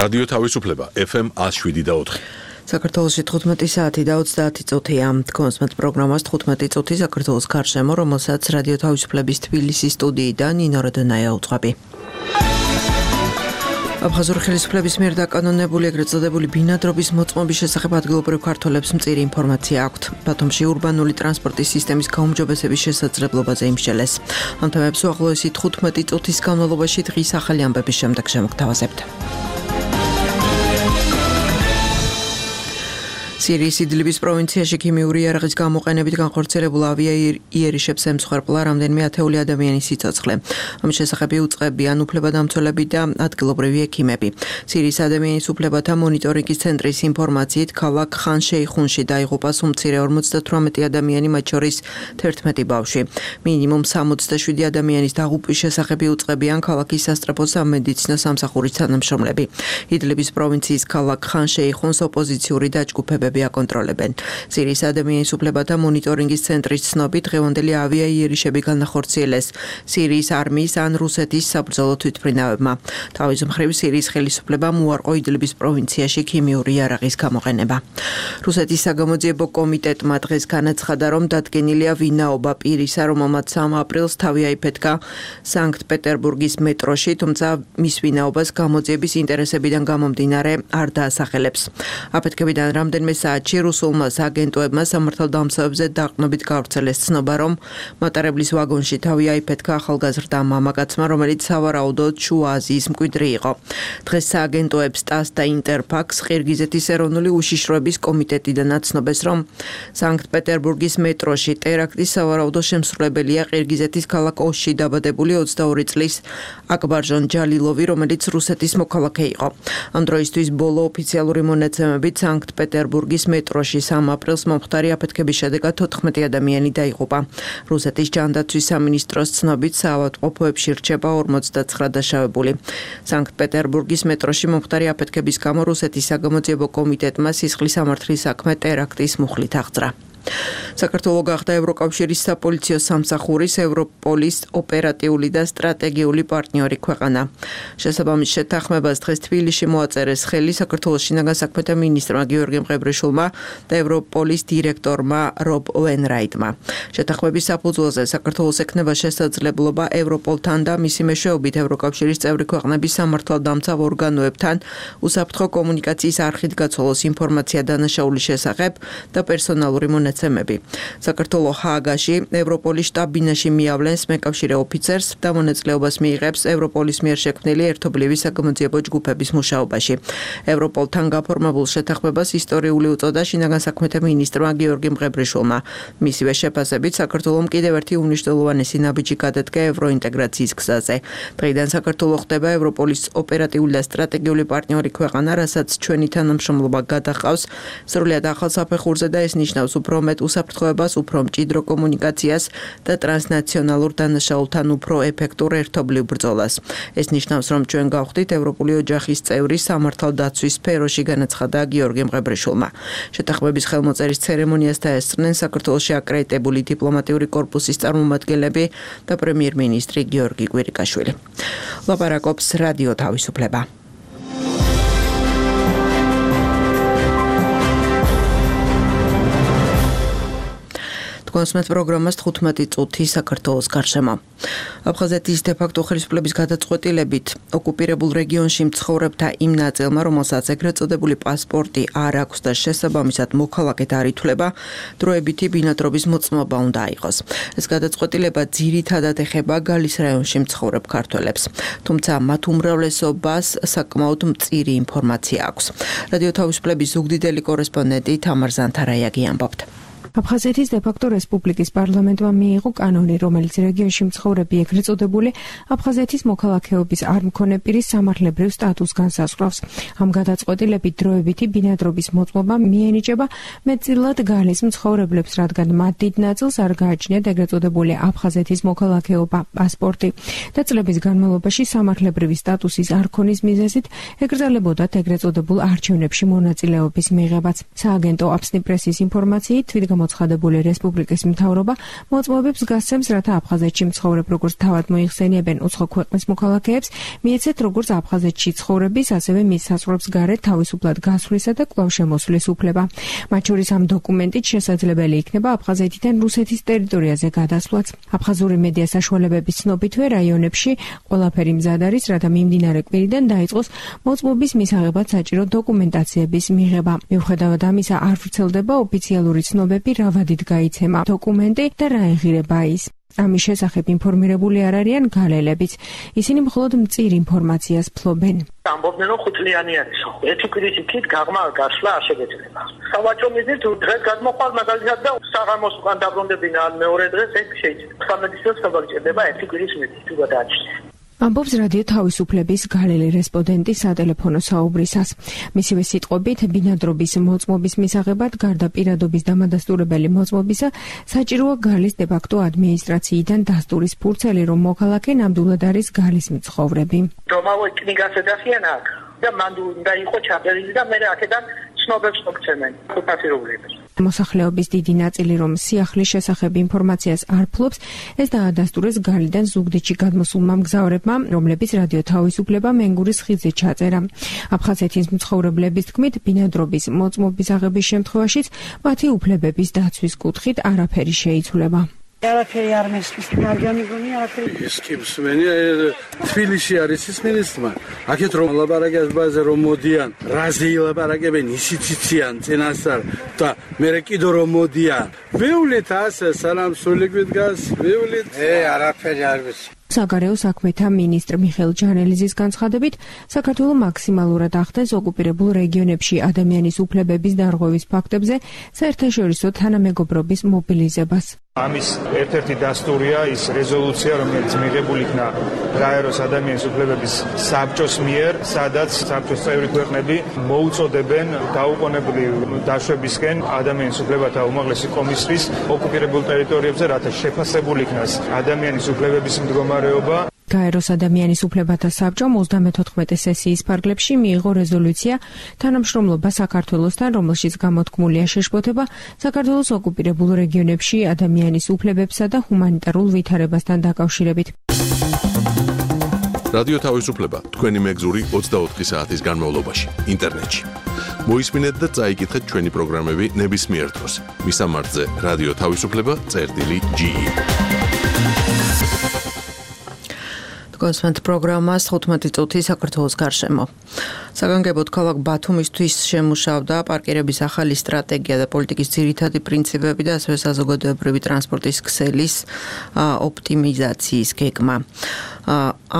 რადიო თავისუფლება FM 107.4. საქართველოში 15 საათი და 30 წუთია. თქვენს პროგრამას 15 წუთი საქართველოს გარშემო, რომელსაც რადიო თავისუფლების თბილისის სტუდიიდან ნინო როდონაია უძღვები. აფხაზური ხელისუფლების მიერ დაკანონებული ეგრეთ წოდებული ბინადრობის მოწმობის შესახებ ადგილობრივ ქართველებს მწირი ინფორმაცია აქვთ. ბათუმში ურბანული ტრანსპორტის სისტემის გაუმჯობესების შესაძლებლობაზე იმსჯელეს. ამ თემებს უახლოესი 15 წუთის განმავლობაში დღის ახალი ამბების შემდეგ შემოგთავაზებთ. სირიის იდლიბის პროვინციაში ქიმიური იარაღის გამოყენებით განხორციელებულ ავიაიერიშებს ემსხვერპლა რამდენიმე ათეული ადამიანის სიცოცხლე. ამის შესახებ იუწყებიან უფლებადამცველები და ადგილობრივი ექიმები. სირიის ადამიანის უფლებათა მონიტორინგის ცენტრის ინფორმაციით, ქალაქ ხან-შეიხუნში დაიღუპა უმცირე 58 ადამიანი, მათ შორის 11 ბავშვი. მინიმუმ 67 ადამიანის დაღუპვის შესახებ იუწყებიან ქალაქის სასწრაფო სამედიცინო სამსახურის თანამშრომლები. იდლიბის პროვინციის ქალაქ ხან-შეიხუნს ოპოზიციური დაჯგუფებები აკონტროლებენ. სირიის ადამიანის უფლებათა მონიტორინგის ცენტრის ცნობით, დღევანდელი ავიაიერიშები განახორციელეს სირიის არმიის ან რუსეთის საბრძოლო თვითმფრინავებმა. თავის მხრივ სირიის ხელისუფლებამ უარყო იდლიბის პროვინციაში ქიმიური იარაღის გამოყენება. რუსეთის საგამოძიებო კომიტეტმა დღეს განაცხადა, რომ დადგენილია ვინაობა პირისა, რომელმაც 3 აპრილს თავი აიფეთქა სანქტ-პეტერბურგის მეტროში, თუმცა მის ვინაობას გამოძიების ინტერესებიდან გამომდინარე არ დაასახელებს. აფეთქებიდან რამდენიმე საათში რუსულმა აგენტოებმა სამართალდამცავებზე დაყრდნობით გავრცელეს ცნობა, რომ მატარებლის ვაგონში თავი აიფეთქა ახალგაზრდა მამაკაცმა, რომელიც სავარაუდოდ შუა აზიის მკვიდრი იყო. დღეს სააგენტოებს TASS და Interfax ყირგიზეთის ეროვნული უშიშროების კომიტეტიდან აცნობეს, რომ სანქტ-პეტერბურგის მეტროში ტერაქტის სავარაუდო შემსრულებელია ყირგიზეთის ქალაქ ოში დაბადებული 22 წლის აკბარჟონ ჯალილოვი, რომელიც რუსეთის მოქალაქე იყო. ამ დროისთვის ბოლო ოფიციალური მონაცემებით სანქტ-პეტერბურგის მეტროში 3 აპრილს მომხდარი აფეთქების შედეგად 14 ადამიანი დაიღუპა. რუსეთის ჯანდაცვის სამინისტროს ცნობით, საავადმყოფოებში რჩება 49 დაშავებული. სანქტ-პეტერბურგის მეტროში მომხდარი აფეთქების გამო რუსეთის საგამოძიებო კომიტეტმა სისხლის სამართლის საქმე ტერაქტის მუხლით აღძრა. საქართველოს გახდა ევროკავშირის საპოლიციო სამსახურის ევროპოლის ოპერატიული და სტრატეგიული პარტნიორი ქვეყანა. შესაბამის შეთანხმებას დღეს თბილისში მოაწერეს ხელი საქართველოს შინაგან საქმეთა მინისტრმა გიორგი მყებრიშვილმა და ევროპოლის დირექტორმა რობ უენრაიტმა. შეთანხმების საფუძველზე საქართველოს ექნება შესაძლებლობა ევროპოლთან და მისი მეშვეობით ევროკავშირის წევრი ქვეყნების სამართალდამცავ ორგანოებთან უსაფრთხო კომუნიკაციის არხით გაცვალოს ინფორმაცია დანაშაულის შესახებ და პერსონალური მონაცემები. საქართველოს ჰააგაში ევროპოლის შტაბ-ბინაში მიავლენს მეკავშირე ოფიცერს და მონაწილეობას მიიღებს ევროპოლის მიერ შექმნილი ერთობლივი საგამოძიებო ჯგუფების მუშაობაში. ევროპოლთან გაფორმებულ შეთანხმებას ისტორიული უწოდა შინაგან საქმეთა მინისტრმა გიორგი მყებრიშვილმა. მისივე შეფასებით საქართველოს კიდევ ერთი უმნიშვნელოვანესი ნაბიჯი გადადგა ევროინტეგრაციის გზაზე. დღეიდან საქართველოს ხდება ევროპოლის ოპერატიული და სტრატეგიული პარტნიორი ქვეყანა, რასაც ჩვენი თანამშრომლობა გადაჰყავს სრულად ახალ საფეხურზე და ეს ნიშნავს უფრო მეტ უსაფრთხოებას, უფრო მჭიდრო კომუნიკაციას და ტრანსნაციონალურ დანაშაულთან უფრო ეფექტურ ერთობლივ ბრძოლას. ეს ნიშნავს, რომ ჩვენ გავხდით ევროპული ოჯახის წევრი სამართალდაცვის სფეროში, განაცხადა გიორგი მყებრიშვილმა. შეთანხმების ხელმოწერის ცერემონიას დაესწრნენ საქართველოში აკრედიტებული დიპლომატიური კორპუსის წარმომადგენლები და პრემიერ-მინისტრი გიორგი კვირიკაშვილი. ლაპარაკობს რადიო თავისუფლება. კონსმეთ პროგრამას 15 წუთი საქართველოს გარშემო. აფხაზეთის დე-ფაქტო ხელისუფლების გადაწყვეტილებით ოკუპირებულ რეგიონში მცხოვრებთა იმ ნაწილმა, რომელსაც ეგრეთ წოდებული პასპორტი არ აქვს და შესაბამისად მოქალაქედ არ ითვლება, დროებითი ბინადრობის მოწმობა უნდა აიღოს. ეს გადაწყვეტილება ძირითადად ეხება გალის რაიონში მცხოვრებ ქართველებს. თუმცა მათ უმრავლესობას საკმაოდ მწირი ინფორმაცია აქვს. რადიო თავისუფლების ზუგდიდელი კორესპონდენტი თამარ ზანთარაიაგი ამბობთ. აფხაზეთის დე-ფაქტო რესპუბლიკის პარლამენტმა მიიღო კანონი, რომელიც რეგიონში მცხოვრები ეგრეთ წოდებული აფხაზეთის მოქალაქეობის არ მქონე პირის სამართლებრივ სტატუსს განსაზღვრავს. ამ გადაწყვეტილებით დროებითი ბინადრობის მოწმობა მიენიჭება მეტწილად გალის მცხოვრებლებს, რადგან მათ დიდ ნაწილს არ გააჩნიათ ეგრეთ წოდებული აფხაზეთის მოქალაქეობა პასპორტი და წლების განმავლობაში სამართლებრივი სტატუსის არ ქონის მიზეზით ეკრძალებოდათ ეგრეთ წოდებულ არჩევნებში მონაწილეობის მიღებაც. სააგენტო აფსნი პრესის ინფორმაციით თვითგამოძიებო მოცხადებული რესპუბლიკის მთავრობა მოწმობებს გასცემს, რათა აფხაზეთში მცხოვრებ როგორც თავად მოიხსენიებენ უცხო ქვეყნის მოქალაქეებს, მიეცეთ როგორც აფხაზეთში ცხოვრების, ასევე მის საზღვრებს გარეთ თავისუფლად გასვლისა და კვლავ შემოსვლის უფლება. მათ შორის ამ დოკუმენტით შესაძლებელი იქნება აფხაზეთიდან რუსეთის ტერიტორიაზე გადასვლაც. აფხაზური მედია საშუალებების ცნობითვე რაიონებში ყველაფერი მზად არის, რათა მიმდინარე კვირიდან დაიწყოს მოწმობის მისაღებად საჭირო დოკუმენტაციების მიღება. მიუხედავად ამისა, არ ვრცელდება ოფიციალური ცნობები, რა ვადით გაიცემა დოკუმენტი და რა ეღირება ის. ამის შესახებ ინფორმირებული არ არიან გალელებიც. ისინი მხოლოდ მწირ ინფორმაციას ფლობენ. ამბობდნენ, რომ ხუთლიანი არის. ერთი კვირის იქით გაღმა გასვლა არ შეგეძლება. სავაჭრო მიზნით დღეს გადმოყვალ მაგალითად და საღამოს უკან დაბრუნდებინა ან მეორე დღეს ეგ შეიძლება. 13 წელს გადაჭირდება ერთი კვირის მიზნით თუ გადააჭრეს. ამბობს რადიო თავისუფლების გალელი რესპონდენტი სატელეფონო საუბრისას. მისივე სიტყვებით, ბინადრობის მოწმობის მისაღებად გარდა პირადობის დამადასტურებელი მოწმობისა, საჭიროა გალის დე-ფაქტო ადმინისტრაციიდან დასტურის ფურცელი, რომ მოქალაქე ნამდვილად არის გალის მცხოვრები. რომავა კნიგას ედახიან აქ და მან უნდა იყო ჩაწერილი და მე აქედან ცნობებს მოგცემენ ფასირობლებს. მოსახლეობის დიდი ნაწილი, რომ სიახლის შესახებ ინფორმაციას არ ფლობს, ეს დაადასტურეს გალიდან ზუგდიდში გადმოსულმა მგზავრებმა, რომლებიც რადიო თავისუფლება მენგურის ხიდზე ჩაწერა. აფხაზეთის მცხოვრებლების თქმით, ბინადრობის მოწმობის აღების შემთხვევაშიც მათი უფლებების დაცვის კუთხით არაფერი შეიცვლება. არაფერი არ მესმის, მარგანი გონი არაფერი. ის კი მსმენია, თბილისში არის ის მინისტრმა. აქეთ რომ ლაბარაკებს ბაზე რომ მოდიან, რაზე ილაბარაკებენ, ისიც იციან წინასწარ და მერე კიდო რომ მოდიან. ვივლით ასე სანამ სულიკვით გას, ვივლით. არაფერი არ ვიცი. საგარეო საქმეთა მინისტრ მიხეილ ჯანელიზის განცხადებით, საქართველო მაქსიმალურად ახდენს ოკუპირებულ რეგიონებში ადამიანის უფლებების დარღვევის ფაქტებზე საერთაშორისო თანამეგობრობის მობილიზებას. ამის ერთ-ერთი დასტურია ის რეზოლუცია, რომელიც მიღებული იქნა გაეროს ადამიანის უფლებების საბჭოს მიერ, სადაც საბჭოს წევრი ქვეყნები მოუწოდებენ დაუყოვნებლივ დაშვებისკენ ადამიანის უფლებათა უმაღლესი კომისრის ოკუპირებულ ტერიტორიებზე, რათა შეფასებული იქნას ადამიანის უფლებების მდგომარეობა. გაეროს ადამიანის უფლებათა საბჭომ 34 სესიის ფარგლებში მიიღო რეზოლუცია თანამშრომლობა საქართველოსთან, რომელშიც გამოთქმულია შეშფოთება საქართველოს ოკუპირებულ რეგიონებში ადამიანის უფლებებსა და ჰუმანიტარულ ვითარებასთან დაკავშირებით. რადიო თავისუფლება თქვენი მეგზური 24 საათის განმავლობაში ინტერნეტში. მოისმინეთ და წაიკითხეთ ჩვენი პროგრამები ნებისმიერ დროს. მისამართზე რადიო თავისუფლება.ge გასვენთ პროგრამას 15 წუთი საქართველოს გარშემო. საგანგებოდ ქალაქ ბათუმისთვის შემუშავდა პარკირების ახალი სტრატეგია და პოლიტიკის ძირითადი პრინციპები და ასევე საზოგადოებრივი ტრანსპორტის ქსელის ოპტიმიზაციის გეგმა.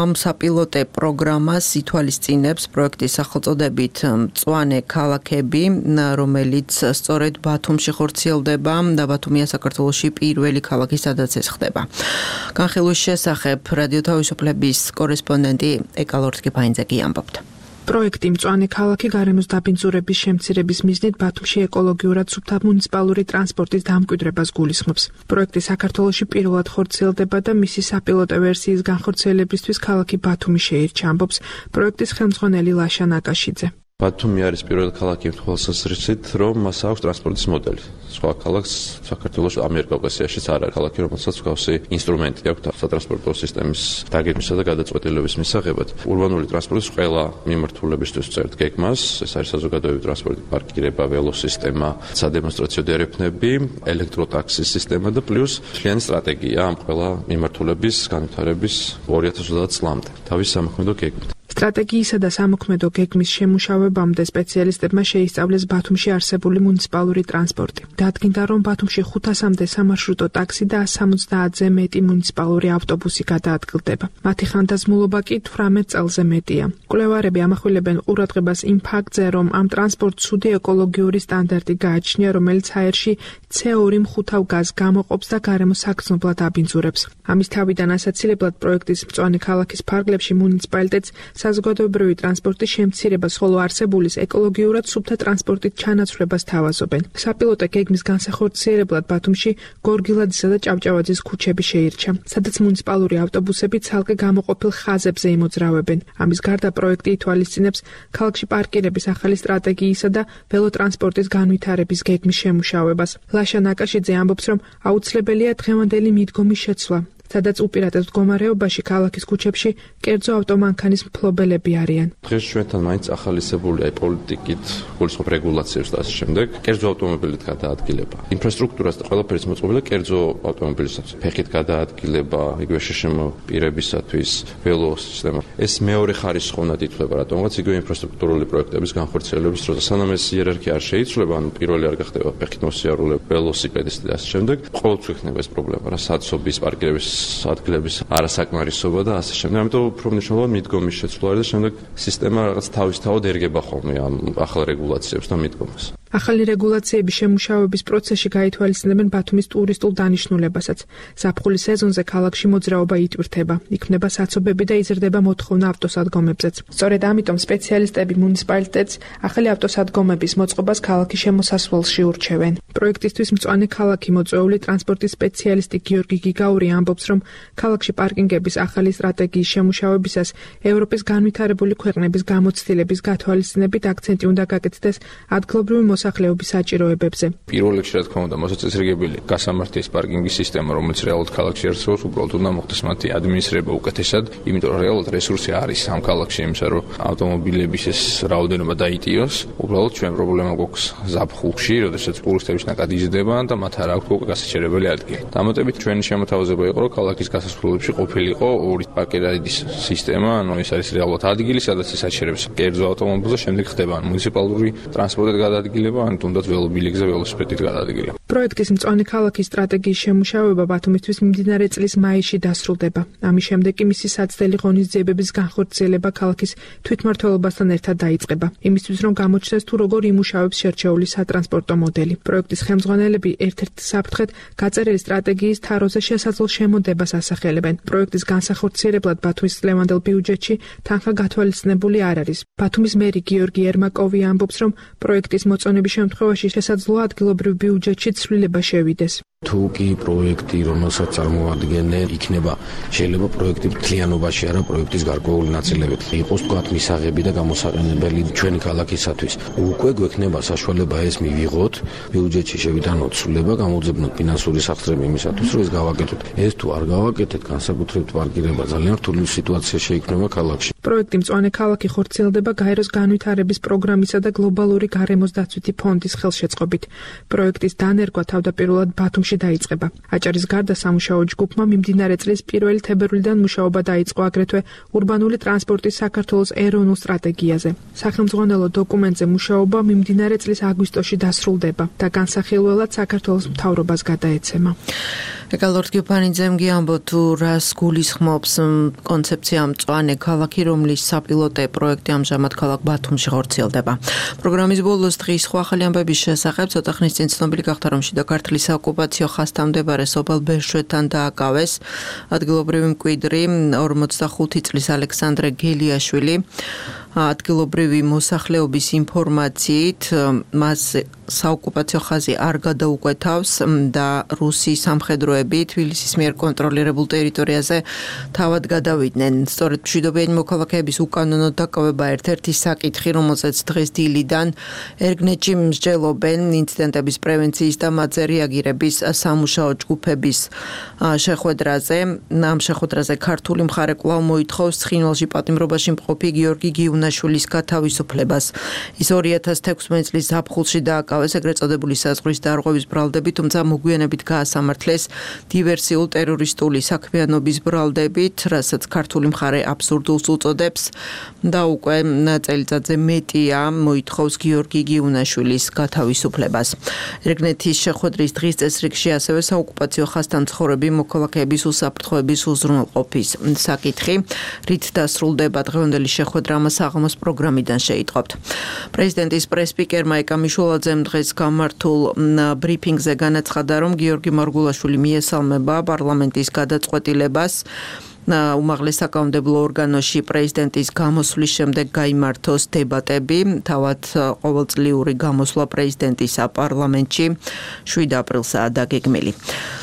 ამ საპილოტე პროგრამას ითვალისწინებს პროექტის სახელწოდებით მწვანე ქალაქები, რომელიც სწორედ ბათუმში ხორციელდება და ბათუმია საქართველოში პირველი ქალაქი, სადაც ეს ხდება. განხილვის შესახებ რადიო თავისუფლების კორესპონდენტი ეკალორთ კიფაინძეკი ამბობდა. პროექტი მწვანე ქალაქი გარემოს დაბინძურების შემცირების მიზნით ბათუმში ეკოლოგიურად სუფთა მუნიციპალური ტრანსპორტის დამკვიდრებას გულისხმობს. პროექტი საქართველოში პირველად ხორციელდება და მისი საპილოტო ვერსიის განხორციელებისთვის ქალაქი ბათუმი შეირჩა, ამბობს პროექტის ხელმძღვანელი ლაშა ნაკაშიძე. ბათუმი არის პირველი ქალაქი იმ თვალსაზრისით, რომ მას აქვს ტრანსპორტის მოდელი. სხვა ქალაქს საქართველოს ამიერკავკასიაშიც არ არის ქალაქი, რომელსაც მსგავსი ინსტრუმენტი აქვს სატრანსპორტო სისტემის დაგეგმვისა და გადაწყვეტილების მისაღებად. ურბანული ტრანსპორტის ყველა მიმართულებისთვის წერთ გეგმას, ეს არის საზოგადოებრივი ტრანსპორტი, პარკირება, ველოსისტემა, სადემონსტრაციო დერეფნები, ელექტროტაქსის სისტემა და პლუს მთლიანი სტრატეგია ამ ყველა მიმართულების განვითარების 2030 წლამდე. თავის სამოქმედო გეგმით. სტრატეგიისა და სამოქმედო გეგმის შემუშავებამდე სპეციალისტებმა შეისწავლეს ბათუმში არსებული მუნიციპალური ტრანსპორტი. დადგინდა, რომ ბათუმში 500-მდე სამარშრუტო ტაქსი და 170-ზე მეტი მუნიციპალური ავტობუსი გადაადგილდება. მათი ხანდაზმულობა კი 18 წელზე მეტია. მკვლევარები ამახვილებენ ყურადღებას იმ ფაქტზე, რომ ამ ტრანსპორტს ცუდი ეკოლოგიური სტანდარტი გააჩნია, რომელიც აერში CO2 მხუთავ გაზს გამოყოფს და გარემოს საგრძნობლად აბინძურებს. ამის თავიდან ასაცილებლად პროექტის მწვანე ქალაქის ფარგლებში მუნიციპალიტეტს საზოგადოებრივი ტრანსპორტის შემცირებას, ხოლო არსებულის ეკოლოგიურად სუფთა ტრანსპორტით ჩანაცვლებას თავაზობენ. საპილოტო გეგმის განსახორციელებლად ბათუმში გორგილაძისა და ჭავჭავაძის ქუჩები შეირჩა, სადაც მუნიციპალური ავტობუსები ცალკე გამოყოფილ ხაზებზე იმოძრავებენ. ამის გარდა პროექტი ითვალისწინებს ქალაქში პარკირების ახალი სტრატეგიისა და ველოტრანსპორტის განვითარების გეგმის შემუშავებას. ლაშა ნაკაშიძე ამბობს, რომ აუცილებელია დღევანდელი მიდგომის შეცვლა, სადაც უპირატეს მდგომარეობაში ქალაქის ქუჩებში კერძო ავტომანქანის მფლობელები არიან. დღეს ჩვენთან მაინც ახალისებულია პოლიტიკით, გულისხმობ რეგულაციებს და ასე შემდეგ, კერძო ავტომობილით გადაადგილება. ინფრასტრუქტურას და ყველაფერს მოწყობილია კერძო ავტომობილისათვის. ფეხით გადაადგილება, იგივე შეშემო პირებისათვის, ველო სისტემა. ეს მეორე ხარისხოვნად ითვლება, რატომღაც იგივე ინფრასტრუქტურული პროექტების განხორციელების დროს, სანამ ეს იერარქია არ შეიცვლება, ანუ პირველი არ გახდება ფეხით მოსიარულე, ველოსიპედისტი და ასე შემდეგ, ყოველთვის იქნება ეს პრობლემა, რა საცობის პარკირების ადგილების არასაკმარისობა და ასე შემდეგ. ამიტომ უფრო მნიშვნელოვანი მიდგომის შეცვლა და შემდეგ სისტემა რაღაც თავისთავად ერგება ხოლმე ამ ახალ რეგულაციებს და მიდგომას. ახალი რეგულაციების შემუშავების პროცესში გაითვალისწინებენ ბათუმის ტურისტულ დანიშნულებასაც. ზაფხულის სეზონზე ქალაქში მოძრაობა იტვირთება, იქმნება საცობები და იზრდება მოთხოვნა ავტოსადგომებზეც. სწორედ ამიტომ სპეციალისტები მუნიციპალიტეტს ახალი ავტოსადგომების მოწყობას ქალაქის შემოსასვლელში ურჩევენ. პროექტისთვის მწვანე ქალაქი მოწვეული ტრანსპორტის სპეციალისტი გიორგი გიგაური ამბობს, რომ ქალაქში პარკინგების ახალი სტრატეგიის შემუშავებისას ევროპის განვითარებული ქვეყნების გამოცდილების გათვალისწინებით აქცენტი უნდა გაკეთდეს ადგილობრივი მოსახლეობის საჭიროებებზე. პირველ რიგში, რა თქმა უნდა, მოსაწესრიგებელი გასამართის პარკინგის სისტემა, რომელიც რეალურად ქალაქში არსებობს, უბრალოდ უნდა მოხდეს მათი ადმინისტრირება უკეთესად, იმიტომ რომ რეალურად რესურსი არის ამ ქალაქში იმისა, რომ ავტომობილების ეს რაოდენობა დაიტიოს. უბრალოდ ჩვენ პრობლემა გვაქვს ზაფხულში, როდესაც ტურისტების ნაკადი იზრდება და მათ არ აქვს უკვე გასაჩერებელი ადგილი. დამატებით ჩვენი შემოთავაზება იყო, რომ ქალაქის გასასვლელებში ყოფილიყო ორი პარკირების სისტემა, ანუ ეს არის რეალურად ადგილი, სადაც ის აჩერებს კერძო ავტომობილს, შემდეგ ხდება მუნიციპალური ტრანსპორტით გადაადგილება, ან თუნდაც ველობილიკზე ველოსიპედით გადაადგილება. პროექტის მწვანე ქალაქის სტრატეგიის შემუშავება ბათუმისთვის მიმდინარე წლის მაისში დასრულდება. ამის შემდეგ კი მისი საცდელი ღონისძიებების განხორციელება ქალაქის თვითმმართველობასთან ერთად დაიწყება. იმისთვის რომ გამოჩნდეს თუ როგორ იმუშავებს შერჩეული სატრანსპორტო მოდელი. პროექტის ხელმძღვანელები ერთ-ერთ საფრთხედ გაწერილი სტრატეგიის თაროზე შესაძლო შემოდებას ასახელებენ. პროექტის განსახორციელებლად ბათუმის წლევანდელ ბიუჯეტში თანხა გათვალისწინებული არ არის. ბათუმის მერი გიორგი ერმაკოვი ამბობს, რომ პროექტის მოწონების შემთხვევაში შესაძლოა ადგილობრივ ბიუჯეტში ცვლილება შევიდეს. თუ კი პროექტი, რომელსაც წარმოადგენენ, იქნება შეიძლება პროექტი მთლიანობაში არა პროექტის გარკვეული ნაწილებით იყოს თქვათ მისაღები და გამოსაყენებელი ჩვენი ქალაქისათვის. უკვე გვექნება საშუალება ეს მივიღოთ, ბიუჯეტში შევიტანოთ ცვლილება, გამოძებნოთ ფინანსური სახსრები იმისათვის, რომ ეს გავაკეთოთ. ეს თუ არ გავაკეთეთ, განსაკუთრებით პარკირება ძალიან რთული სიტუაცია შეიქმნება ქალაქში. პროექტი მწვანე ქალაქი ხორციელდება გაეროს განვითარების პროგრამისა და გლობალური გარემოს დაცვითი ფონდის ხელშეწყობით. პროექტის დანერგვა თავდაპირველად ბათუმში დაიწყება. აჭარის გარდა სამუშაო ჯგუფმა მიმდინარე წლის 1 თებერვლიდან მუშაობა დაიწყო აგრეთვე ურბანული ტრანსპორტის საქართველოს ეროვნულ სტრატეგიაზე. სახელმძღვანელო დოკუმენტზე მუშაობა მიმდინარე წლის აგვისტოში დასრულდება და განსახილველად საქართველოს მთავრობას გადაეცემა. ეკალორდ გიოფანიძემ გიამბო თუ რას გულისხმობს კონცეფცია მწვანე ქალაქი, რომლის საპილოტე პროექტი ამჟამად ქალაქ ბათუმში ხორციელდება. პროგრამის ბოლოს დღის სხვა ახალი ამბების შესახებ ცოტა ხნის წინ ცნობილი გახდა, რომ შიდა ქართლის საოკუპაციო ხაზთან მდებარე სოფელ ბერშვეთთან დააკავეს ადგილობრივი მკვიდრი 45 წლის ალექსანდრე გელიაშვილი. ადგილობრივი მოსახლეობის ინფორმაციით მას საოკუპაციო ხაზი არ გადაუკვეთავს და რუსი სამხედროები თბილისის მიერ კონტროლირებულ ტერიტორიაზე თავად გადავიდნენ. სწორედ მშვიდობიანი მოქალაქეების უკანონო დაკავება ერთ-ერთი საკითხი, რომელზეც დღეს დილიდან ერგნეტში მსჯელობენ ინციდენტების პრევენციის და მათზე რეაგირების სამუშაო ჯგუფების შეხვედრაზე. ამ შეხვედრაზე ქართული მხარე კვლავ მოითხოვს ცხინვალში პატიმრობაში მყოფი გიორგი გიუნაშვილის გათავისუფლებას. ის 2016 წლის ზაფხულში დააკავეს ეგრეთ წოდებული საზღვრის დარღვევის ბრალდები, თუმცა მოგვიანებით გაასამართლეს დივერსიულ ტერორისტული საქმიანობის ბრალდებით, რასაც ქართული მხარე აბსურდულს უწოდებს და უკვე წელიწადზე მეტია მოითხოვს გიორგი გიუნაშვილის გათავისუფლებას. ერგნეთის შეხვედრის დღის წესრიგში ასევე საოკუპაციო ხაზთან მცხოვრები მოქალაქეების უსაფრთხოების უზრუნველყოფის საკითხი, რით დასრულდება დღევანდელი შეხვედრა საღამოს პროგრამიდან შეიტყობთ. პრეზიდენტის პრესპიკერმა ეკა მიშულაძემ დღეს გამართულ ბრიფინგზე განაცხადა, რომ გიორგი მარგულაშვილი მიესალმება პარლამენტის გადაწყვეტილებას უმაღლეს საკანონმდებლო ორგანოში პრეზიდენტის გამოსვლის შემდეგ გაიმართოს დებატები, თავად ყოველწლიური გამოსვლა პრეზიდენტის საპარლამენტში 7 აპრილსაა დაგეგმილი.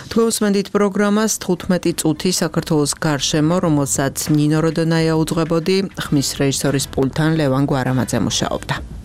თქვენ უსმენთ პროგრამას 15 წუთი საქართველოს გარშემო, რომელსაც ნინო როდონაია უძღვებოდი, ხმის რეჟისორის პულტთან ლევან გვარამაძე მუშაობდა.